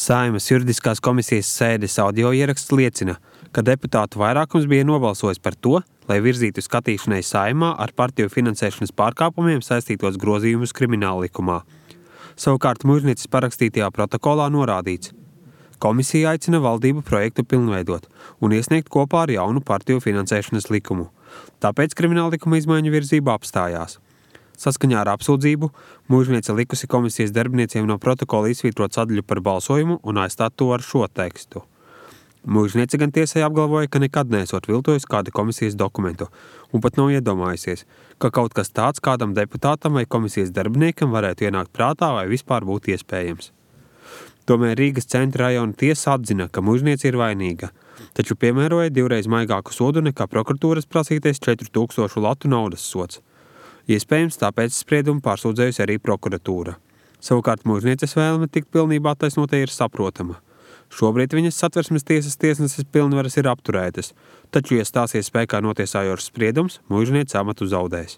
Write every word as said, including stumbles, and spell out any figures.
Saeimas juridiskās komisijas sēdes audio ieraksts liecina, ka deputātu vairākums bija nobalsojis par to, lai virzītu skatīšanai Saeimā ar partiju finansēšanas pārkāpumiem saistītos grozījumus krimināllikumā. Savukārt Mužnieces parakstītajā protokolā norādīts: komisija aicina valdību projektu pilnveidot un iesniegt kopā ar jaunu partiju finansēšanas likumu. Tāpēc krimināllikuma izmaiņu virzība apstājās. Saskaņā ar apsūdzību Mužniece likusi komisijas darbinieciem no protokola izsvītrot sadaļu par balsojumu un aizstāt to ar šo tekstu. Mužniece gan tiesai apgalvoja, ka nekad neesot viltojusi kādu komisijas dokumentu un pat nav iedomājusies, ka kaut kas tāds kādam deputātam vai komisijas darbiniekam varētu ienākt prātā vai vispār būt iespējams. Tomēr Rīgas centra rajona tiesa atzina, ka Mužniece ir vainīga, taču piemēroja divreiz maigāku sodu nekā prokuratūras prasītais četru tūkstošu latu naudas sods. Iespējams, tāpēc spriedumu pārsūdzējusi arī prokuratūra. Savukārt Mužnieces vēlme tikt pilnībā taisnotai ir saprotama. Šobrīd viņas Satversmes tiesas tiesneses pilnvaras ir apturētas, taču, ja stāsies spēkā notiesājošs spriedums, Mužniece amatu zaudēs.